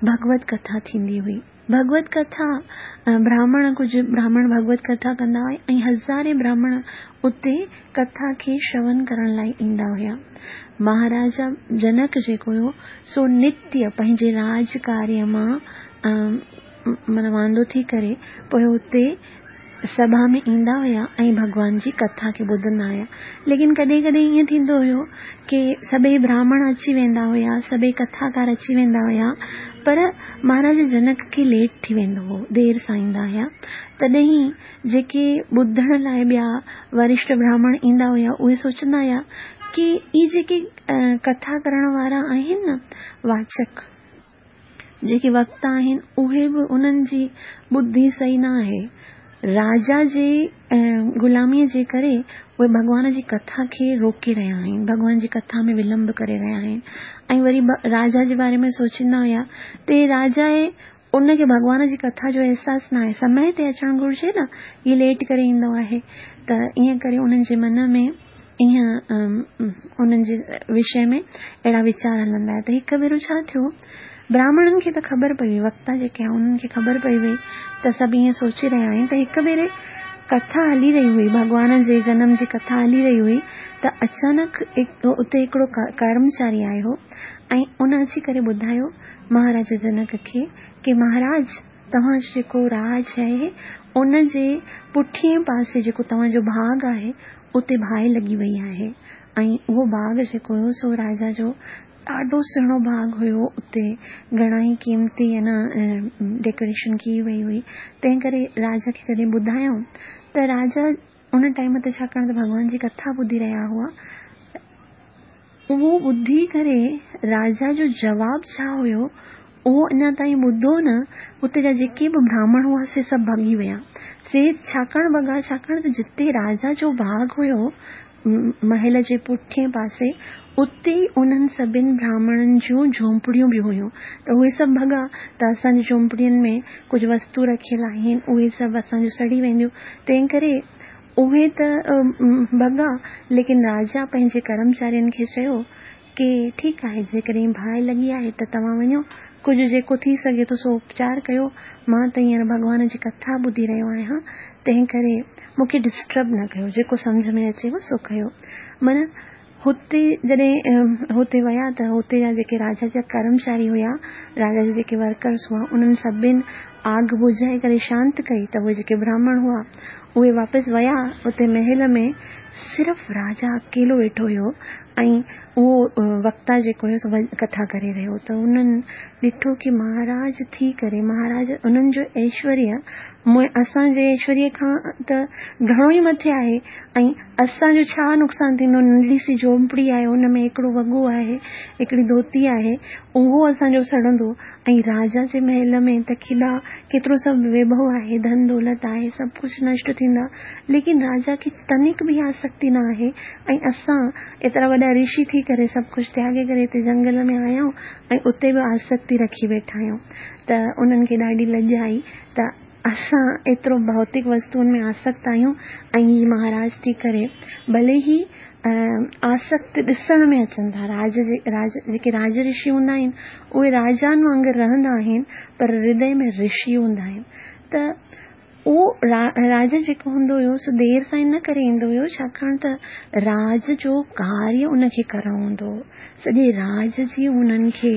ڀڳوت ڪٿا ٿيندي هئي. ڀڳوت ڪٿا براهمڻ ڪجهه براهمڻ ڀڳوت ڪٿا ڪندا هئا ۽ هزارين براهمڻ اتي ڪٿا کي شرون ڪرڻ لاءِ ايندا هئا. مهاراجا جنڪ جيڪو هيو سو نتيه پنهنجي راج ڪاريه مان معنيٰ واندو ٿي ڪري پوءِ اتي سڀا ۾ ايندا هئا ۽ ڀڳوان جي ڪٿا کي ٻڌندا هئا. ليڪن ڪڏهن ڪڏهن ائين ٿيندو هيو ڪه سڀئي براهمڻ اچي ويندا هئا، سڀئي ڪٿاڪار اچي ويندا هئا، پر مهاراجا جنڪ کي ليٽ ٿي ويندو هو، دير سان ايندا هئا. تڏهن جيڪي ٻڌڻ لاءِ ٻيا ورشٺ براهمڻ ايندا هئا اهي سوچندا هئا ڪه اهي جيڪي ڪٿا ڪرڻ وارا آهن نه، واچڪ جيڪي وڪتا آهن، اهي به انهن جي ٻڌي صحيح نه آهي. راجا جي غلاميءَ جي ڪري اهي ڀڳوان جي ڪٿا کي روڪي رهيا آهن، ڀڳوان جي ڪٿا ۾ ولمب ڪري رهيا آهن. ۽ وري راجا جي باري ۾ سوچيندا هئا ته راجا آهي، ان کي ڀڳوان جي ڪٿا جو احساس نه آهي، سمي تي اچڻ گهرجي نه، هيءَ ليٽ ڪري ايندو آهي. ته ائين ڪري انهن جي من ۾ ائين انهن جي وشي ۾ اهڙا ويچار هلندا هئا. ته هڪ ڀيرو ڇا ٿيو، براهمڻن کي ته خبر پئي وئي، وڪتا جيڪي آهن انهن کي خبر پئي وئي ته سڀ ائين سوچي رهيا آهن. ته هڪ ڀيري ڪٿا هلي رهي هئي، ڀڳوان جي جنم جي ڪٿا هلي رهي هئي، ته اچانڪ اتي هڪڙو ڪرمچاري آيو ۽ ان اچي ڪري ٻڌايو مهاراجا جنڪ کي ڪه مهاراج، توهان جو جيڪو راج آهي ان جي پٺئين پاسي جيڪو توهان جو باغ آهي اتي باهه لڳي وئي آهي. ۽ اهو باغ جيڪو هيو سو راجا جو ڏاڍو سهڻو باغ هيو، اتي گهڻا ئي قيمتي نه ڊيڪوريشن ڪئي وئي هئي. تنهن ڪري راجا کي جڏهن ٻڌايائون ته راجا ان ٽائيم تي ڇاڪاڻ ته ڀڳوان جي ڪٿا ٻڌي رهيا هئا، اهو ٻڌي ڪري راجا جو جواب ڇا هيو اهو اڃا تائين ٻڌو نه، اتي جا جيڪي به براهمڻ هئا سي سڀ ڀڳي ويا. سي ڇاڪاڻ ڀڳا، ڇاڪاڻ ته جتي راجا جو باغ هيو محل جي پٺئين پاسي، اتي ئي انهن سڀني براهمڻن جون جهوپڙيون به هيون. ته اهي سڀ ڀڳا ته اسان جي جهوپڙين ۾ ڪجهه وستو رکيل آهن، اهي سڀ اسان جون سڙي وينديون. تنهن ڪري اهي ته ڀڳا، ليڪن راجا پنهنجي ڪرمچارين کي چيو ڪه ٺيڪ آهي، جيڪڏهن باهه لڳي آهي ته توهان وڃو، ڪجهه جيڪو ٿي سگهي ٿو سو اپچار ڪيو، مان ته هينئر ڀڳوان جي ڪٿا ٻڌي رهيو آهيان، تنهن ڪري مون کي ڊسٽرب نه ڪيو، جيڪو سمجهه ۾ اچيو سو ڪيو. معنيٰ هتي جڏهن هتي ويا ته هتي جا جيڪي راجا جا ڪرمچاري هئا، راجا جا جيڪي ورڪرس هئا، انهن سڀني آگ بجهائي ڪري شانت ڪئي. ته اهي جيڪي براهمڻ هئا اهي واپس ويا. اتي محل ۾ صرف راجا اڪيلو ويٺو هيو ۽ اهو وڪتا جيڪو هيو سو ڪٿا ڪري رهيو. ته انهن ڏٺو ڪه مهاراج ٿي ڪري، مهاراج انهن جو ايشوريه اسان جي ايشوريه کان ته گهڻو ئي مٿي آهي ۽ اسان جو ڇا نقصان ٿيندو، ننڍڙي سي جهوپڙي آهي، ان ۾ هڪڙو وڳو آهي، هڪڙي ڌوتي آهي، اهو اسان جو سڙندو، ۽ راجا جي محل ۾ ته ڪيڏا ڪيترو سڀ ويڀو آهي، ڌن دولت آهي، سڀ ڪجهه نشٽ ٿيندا. ليڪن راجا کي تنڪ به آسڪتي نه آهي ۽ اسان ايترا وڏا رشي ٿي ڪري سڀ ڪجهه تياڳي ڪري هتي جنگل ۾ آيا آهيون ۽ اتي به آسڪتي رکي ويٺا آهيون. ته انهن کي ڏاڍي لڄ آئي ته اسان ايترو ڀوتڪ وستوئن ۾ آسڪت آهيون ۽ هي مهاراج ٿي ڪري ڀلي ئي آسڪت ڏسڻ ۾ اچن ٿا. راج جي راج جيڪي راج رشي هوندا آهن اهي راجائن وانگر رهندا آهن پر هردي ۾ رشي هوندا آهن. ته اهو راجا جيڪو هوندو هيو سو دير سان ان ڪري ايندو هيو ڇاڪاڻ ته راج جو ڪاريه ان کي ڪرڻو هوندو هو. سڄي راج جي هنن کي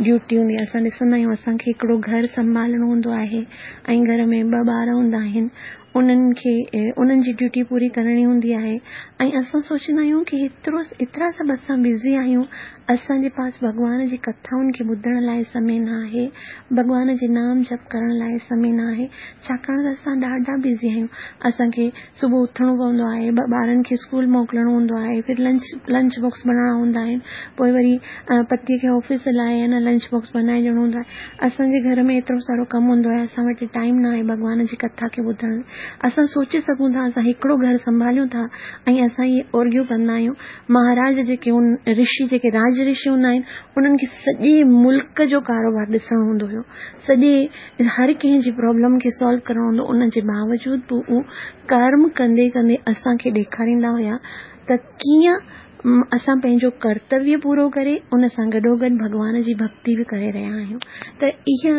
ڊيوٽي هوندي. اسان ڏسندا آهيون اسان کي هڪڙو گهر سنڀالڻو هوندو آهي ۽ گهر ۾ ٻه ٻار هوندا آهن، انهن کي انهن جي ڊيوٽي پوري ڪرڻي هوندي آهي ۽ اسان سوچيندا آهيون ڪه ايترو ايترا سڀ اسان بزي آهيون، اسان جي پاس ڀڳوان جي ڪٿائن کي ٻڌڻ لاءِ سمي نه آهي، ڀڳوان جي نام جپ ڪرڻ لاءِ سمي نه آهي، ڇاڪاڻ ته اسان ڏاڍا بزي آهيون. اسان کي صبح اٿڻو پوندو آهي، ٻارن کي اسڪول موڪلڻو هوندو آهي، ڦر لنچ لنچ باڪس بڻائڻا هوندا آهن، پوءِ وري پتيءَ کي آفيس لاءِ نه لنچ باڪس بنائي ڏيڻو هوندو آهي. اسان جي گهر ۾ ايترو سارو ڪم هوندو آهي، اسان وٽ ٽائيم نه آهي ڀڳوان جي ڪٿا کي ٻڌڻ. اسان سوچي سگهون ٿا اسان هڪڙو گهر سنڀاليون ٿا ۽ اسان اهي اورگيون ڪندا آهيون. مهاراج جيڪي رشي جيڪي راج رشي هوندا آهن انهن کي سڄي ملڪ جو ڪاروبار ڏسڻو هوندو هيو، سڄي هر ڪنهن جي پرابلم کي سالو ڪرڻو هوندو. ان جي باوجود به اهو ڪرم ڪندي ڪندي اسان کي ڏيکاريندا هئا ته ڪيئن اسان پنهنجو ڪرتويه پورو ڪري ان سان گڏوگڏ ڀڳوان جي ڀڪتي به ڪري رهيا آهيون. ته اها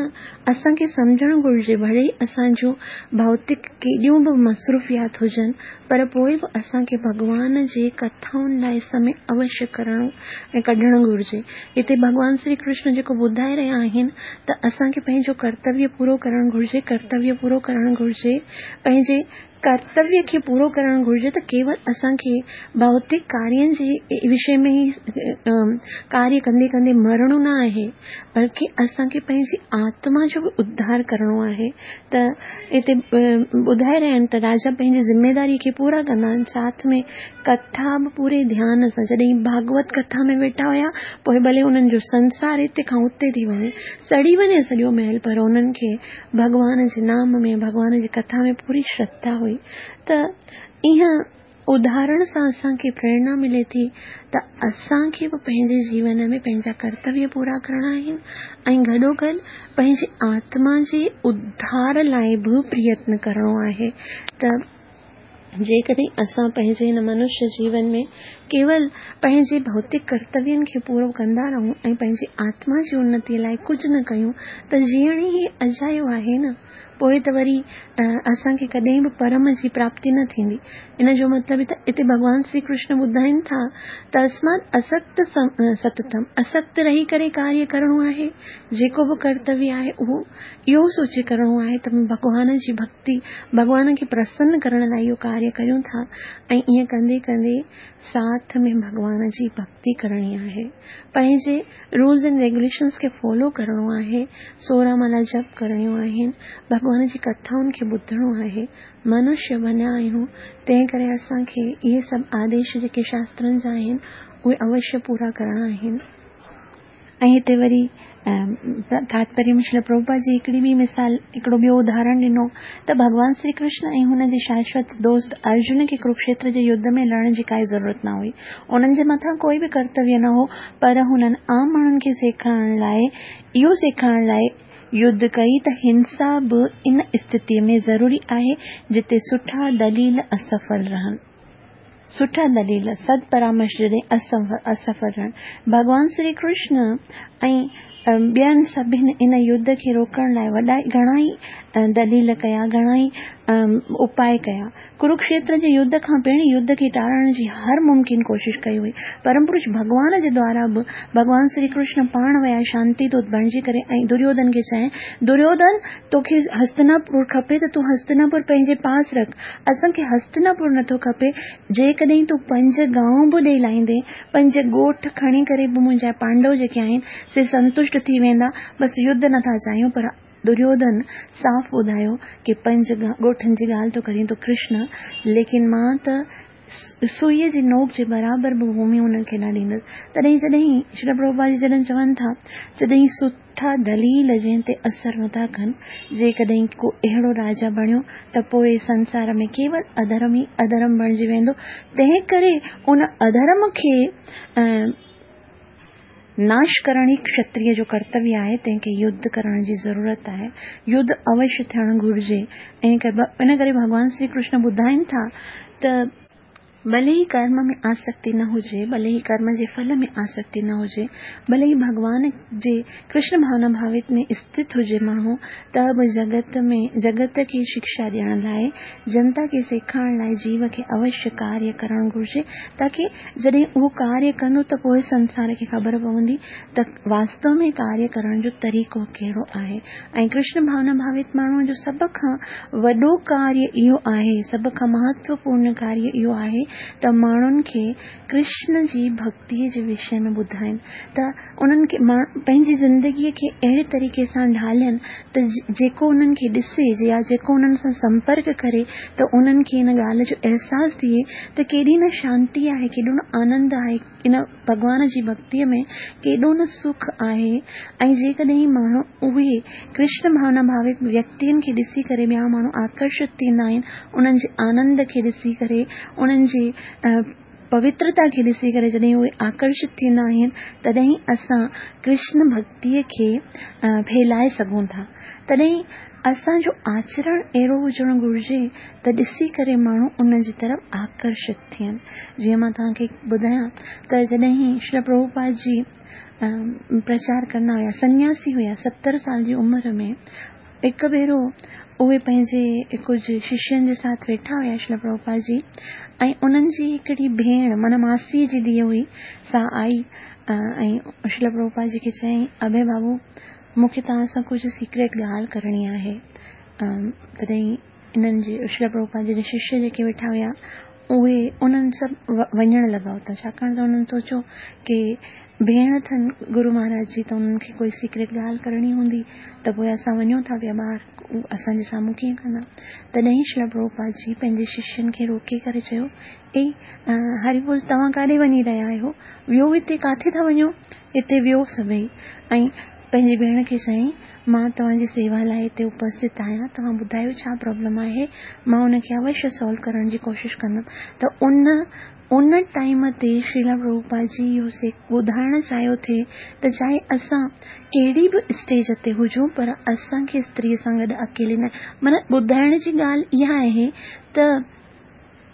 اسان کي سمجهڻ گهرجي، ڀلي اسان جون ڀوتڪ ڪيڏيون به مصروفيات هجن پر پوءِ به اسان کي ڀڳوان جي ڪٿائن لاءِ سمي اوشيه ڪرڻو ۽ ڪڍڻ گهرجي. هتي ڀڳوان شري ڪرشن جيڪو ٻڌائي رهيا آهن ته اسان کي پنهنجو ڪرتويه پورو ڪرڻ گهرجي، ڪرتويه پورو ڪرڻ گهرجي، پنهنجي ڪرتويه کي پورو ڪرڻ گهرجي. ته ڪيول اسان کي ڀوتڪ ڪارين جي وشي ۾ ئي ڪاريه ڪندي ڪندي مرڻو نه آهي، بلڪه اسان کي پنهنجي آتما جو به اڌار ڪرڻو آهي. ته هتي ٻڌائي رهيا آهن ته راجا پنهنجي ذميداري کي پورا ڪندا آهن، ساٿ ۾ ڪٿا به پوري ڌيان سان. جڏهن ڀاڳوت ڪٿا ۾ ويٺا هئا پوءِ ڀلي انهن جو سنسار هتي کان اتي ٿي وڃي، سڙي وڃي سڄو محل، پر انهن کي ڀڳوان جي نام ۾ ڀڳوان جي ڪٿا ۾ پوري شرڌا هئي. ته اها اداهرڻ سان اسان کي پريرڻا ملي ٿي ته اسان کي به پنهنجي جيون ۾ پنهنجا ڪرتويه پورا ڪرڻا آهن ۽ گڏوگڏ پنهنجي آتما جي اڌار لاءِ به پريتن ڪرڻو آهي. ته جيڪڏهن اسان پنهنجي هن منشيه جيون ۾ ڪيول پنهنجي ڀوتڪ ڪرتوين کي پورو ڪندا رهون ۽ پنهنجي آتما جي انتيءَ لاءِ ڪجهه نه ڪيون ته جيئڻ ئي اجايو آهي نه. پوءِ ته وري اسان کي ڪڏهن به پرم جي پراپتي نه ٿيندي. ان جو مطلب ته هتي ڀڳوان شري ڪرشن ٻڌائين ٿا تسمات اسڪت ستتم، اسڪت رهي ڪري ڪاريه ڪرڻو آهي، جيڪو به ڪرتويه آهي اهو اهو سوچي ڪرڻو آهي ته ڀڳوان جي ڀڪتي، ڀڳوان کي پرسن ڪرڻ لاءِ اهو ڪاريه ڪريون ٿا ۽ ائين ڪندي ڪندي ساٿ ۾ ڀڳوان جي ڀڪتي ڪرڻي آهي، پنهنجي رولز اينڊ ريگيوليشنس کي فالو ڪرڻو آهي، سورهن مالا جپ ڪرڻيون آهن، ڀڳوان جي ڪٿائن کي ٻڌڻو آهي. منشيه بڻيا آهيون تنهن ڪري اسان کي اهي سڀ آديش جيڪي شاسترن جا آهن اهي اوشيه پورا ڪرڻا آهن. ۽ هتي وري تاتپريه ۾ شريل پرڀوپاد جي هڪڙي ٻي مثال، هڪڙو ٻيو اداهرڻ ڏنو ته ڀڳوان شري ڪرشن ۽ هن جي شاشوت دوست ارجن کي ڪروڪشيتر جي يڌ ۾ لڙڻ جي ڪائي ضرورت نه هئي، انهن جي مٿان ڪوئي به ڪرتويه نه هو، پر هنن عام ماڻهن کي سيکارڻ لاءِ اهو سيکارڻ لاءِ يڌ ڪئي ته هنسا به ان اسٿتيءَ ۾ ضروري آهي جتي سٺا دليل اسڦل رهن. سٺا دليل سد پرامرش جڏهن اسڦل رهن. ڀڳوان شري ڪرشن ۽ ٻين سڀني ان يڌ کي روڪڻ لاءِ وڏا گهڻا ئي دليل ڪيا، گهڻا ئي اپاءَ ڪيا. ڪروڪشيتر جي يڌ کان پهرين يڌ کي ٽارڻ جي هر ممڪن ڪوشش ڪئي هئي. پرم پرش ڀڳوان جي دوارا به ڀڳوان شري ڪرشن پاڻ ويا شانتي دوت بڻجي ڪري ۽ دريوڌن کي چيائين، دريوڌن توکي هستناپور کپي ته تون هستناپور پنهنجي پاس رک، اسان کي هستناپور نٿو کپي. جيڪڏهن تون پنج گانو به ڏيئي لاهيندين، پنج ڳوٺ کڻي ڪري به منهنجا پانڊو جيڪي آهن سي سنتشٽ ٿي ويندا، بس يڌ نٿا چاهيون. پر دريوڌن صاف ٻڌايو ڪه پنج ڳوٺن جي ڳالهه ٿو ڪرين تون ڪرشن، ليڪن مان ته सुईअ जी नोक जे बराबरि बि भूमि उन्हनि खे न ॾींदसि। तॾहिं जॾहिं श्री प्रभुपाद जी जॾहिं चवनि था, जॾहिं सुठा दलील जंहिं ते असर नथा कनि, जेकॾहिं को अहिड़ो राजा बणियो त पोइ संसार में केवल अधर्म ई अधर्म बणिजी वेंदो। तंहिं करे उन अधर्म खे नाश करणु ई क्षत्रिय जो कर्तव्य आहे, तंहिंखे युद्ध करण जी ज़रूरत आहे, युद्ध अवश्य थियणु घुरिजे। इन करे भॻवान श्री कृष्ण ॿुधाइनि था त भले ही कर्म में आसक्ति न हुजे, भले ही कर्म जे फल में आसक्ति न हुजे, भले ही भॻवान जे कृष्ण भावना भावित में स्थित हुजे माण्हू, त बि जगत में जगत खे शिक्षा ॾियण लाइ, जनता खे सेखारण लाइ जीव खे अवश्य कार्य करणु घुरिजे, ताकी जॾहिं उहो कार्य कंदो त पोइ संसार खे ख़बर पवंदी त वास्तव में कार्य करण जो तरीक़ो कहिड़ो आहे। ऐं कृष्ण भावना भावित माण्हूअ जो सभ खां वॾो कार्य इहो आहे, सभ खां महत्वपूर्ण कार्य इहो आहे त माण्हुनि खे कृष्ण जी भक्तीअ जे विषय में ॿुधाइनि, त उन्हनि खे पंहिंजी ज़िंदगीअ खे अहिड़े तरीक़े सां ढालनि त जेको उन्हनि खे ॾिसे या जेको उन्हनि सां संपर्क करे त उन्हनि खे इन ॻाल्हि जो अहसासु थिए त केॾी न शांति आहे, केॾो न आनंद आहे इन भॻवान जी भक्तीअ में, केॾो न सुख आहे। ऐं जेकॾहिं माण्हू उहे कृष्ण भावना भावित व्यक्तियुनि खे ॾिसी करे ॿिया माण्हू आकर्षित थींदा आहिनि, उन्हनि जे आनंद खे ॾिसी करे, उन्हनि जी पवित्रता खे ॾिसी करे जॾहिं उहे आकर्षित थींदा आहिनि, तॾहिं असां कृष्ण भक्तीअ खे फैलाए सघूं था। तॾहिं असांजो आचरण अहिड़ो हुजणु घुरिजे त ॾिसी करे माण्हू उन जी तरफ़ आकर्षित थियनि। जीअं मां तव्हांखे ॿुधायां त जॾहिं श्री प्रभुपाद जी प्रचार कंदा हुया, सन्यासी हुया, सतरि साल जी उमिरि में, हिकु भेरो उहे पंहिंजे कुझु शिष्यनि जे साथ वेठा हुया श्री प्रभुपाद जी, ऐं उन्हनि जी हिकिड़ी भेण माना मासीअ जी धीउ हुई, सा आई ऐं श्री प्रभुपाद जी खे चयईं, अभय बाबू मूंखे तव्हां सां कुझु सीक्रेट ॻाल्हि करणी आहे। तॾहिं इन्हनि जे श्री प्रभुपाद जी शिष्य जेके वेठा हुया उहे उन्हनि सभु वञणु लॻा हुतां, छाकाणि त उन्हनि सोचियो की भेण अथनि गुरू महाराज जी, त उन्हनि खे कोई सीक्रेट ॻाल्हि करणी हूंदी त पोइ असां वञूं था पिया ॿाहिरि, असांजे साम्हूं कीअं कंदा। तॾहिं श्री प्रभुपाद जी पंहिंजे शिष्यनि खे रोके करे चयो, ए हरि बोल, तव्हां काॾे वञी रहिया आहियो? वियो हिते, किथे था वञो? हिते वियो सभई। ऐं पंहिंजी भेण खे चयईं, मां तव्हांजी सेवा लाइ हिते उपस्थित आहियां, तव्हां ॿुधायो छा प्रॉब्लम आहे, मां उनखे अवश्य सॉल्व करण जी कोशिशि कंदुमि। त उन उन टाइम ते श्रीला प्रभुपाद जी इहो ॿुधाइणु चाहियो थे त चाहे असां कहिड़ी बि स्टेज ते हुजूं, पर असांखे स्त्रीअ सां गॾु अकेले न, माना ॿुधाइण जी ॻाल्हि इहा आहे त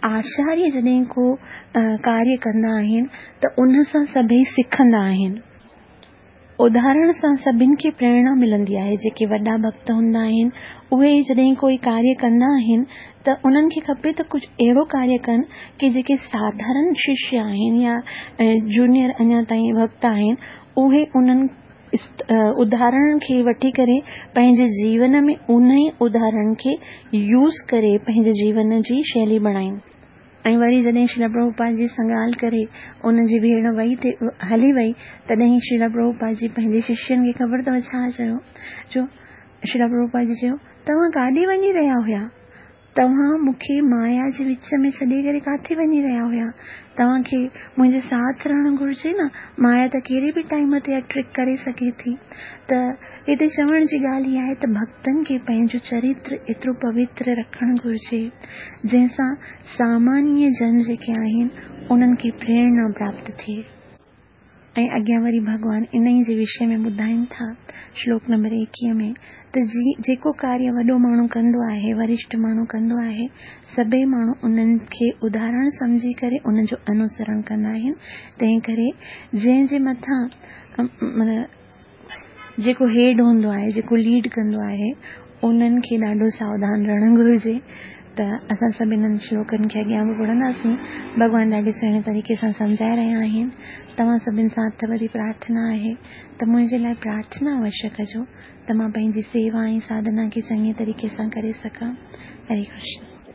आचार्य जॾहिं को कार्य कंदा आहिनि त उन सां सभई सिखंदा आहिनि, उदाहरण सां सभिनि खे प्रेरणा मिलंदी आहे। जेके वॾा भक्त हूंदा आहिनि उहे जॾहिं कोई कार्य कंदा आहिनि त उन्हनि खे खपे त कुझु अहिड़ो कार्य कनि की जेके साधारण शिष्य आहिनि या जूनियर अञा ताईं भक्त आहिनि उहे उन्हनि उदाहरण खे वठी करे पंहिंजे जीवन में उन ई उदाहरण खे यूज़ करे पंहिंजे जीवन जी शैली बणाइनि। ऐं वरी जॾहिं श्रीला प्रभुपाद जी सां ॻाल्हि करे उन जी भेण वई थे हली वई, तॾहिं श्रीला प्रभुपाद जी पंहिंजे शिष्यनि खे ख़बर अथव छा चयो, जो श्रीला प्रभुपाद जी चयो, तव्हां काॾे वञी रहिया हुया? तव्हां मूंखे माया जे विच में छॾे करे किथे वञी रहिया हुया? तव्हांखे मुंहिंजे साथ रहणु घुरिजे न, माया त कहिड़े बि टाइम ते ट्रिक करे सघे थी। त हिते चवण जी ॻाल्हि इहा आहे त भक्तनि खे पंहिंजो चरित्र एतिरो पवित्र रखणु घुरिजे जंहिंसां सामान्य जन जेके आहिनि उन्हनि खे प्रेरणा प्राप्त थिए। ऐं अॻियां वरी भॻवान इन ई जे विषय में ॿुधाइनि था श्लोक नंबर एकवीह में त जी जेको कार्य वॾो माण्हू कंदो आहे, वरिष्ठ माण्हू कंदो आहे, सभई माण्हू उन्हनि खे उदाहरण सम्झी करे उन जो अनुसरण कंदा आहिनि। तंहिं करे जंहिंजे मथां माना जेको हेड हूंदो आहे, जेको लीड कंदो आहे, उन्हनि खे ॾाढो सावधान रहणु घुरिजे। त असां सभु इन्हनि श्लोकनि खे अॻियां बि पढ़ंदासीं। भॻवान ॾाढे सुहिणे तरीक़े सां सम्झाए रहिया आहिनि। तव्हां सभिनि सां हथ ॿधी प्रार्थना आहे त मुंहिंजे लाइ प्रार्थना अवश्य कजो त मां पंहिंजी सेवा ऐं साधना खे चङे तरीक़े सां करे सघां। हरे कृष्ण।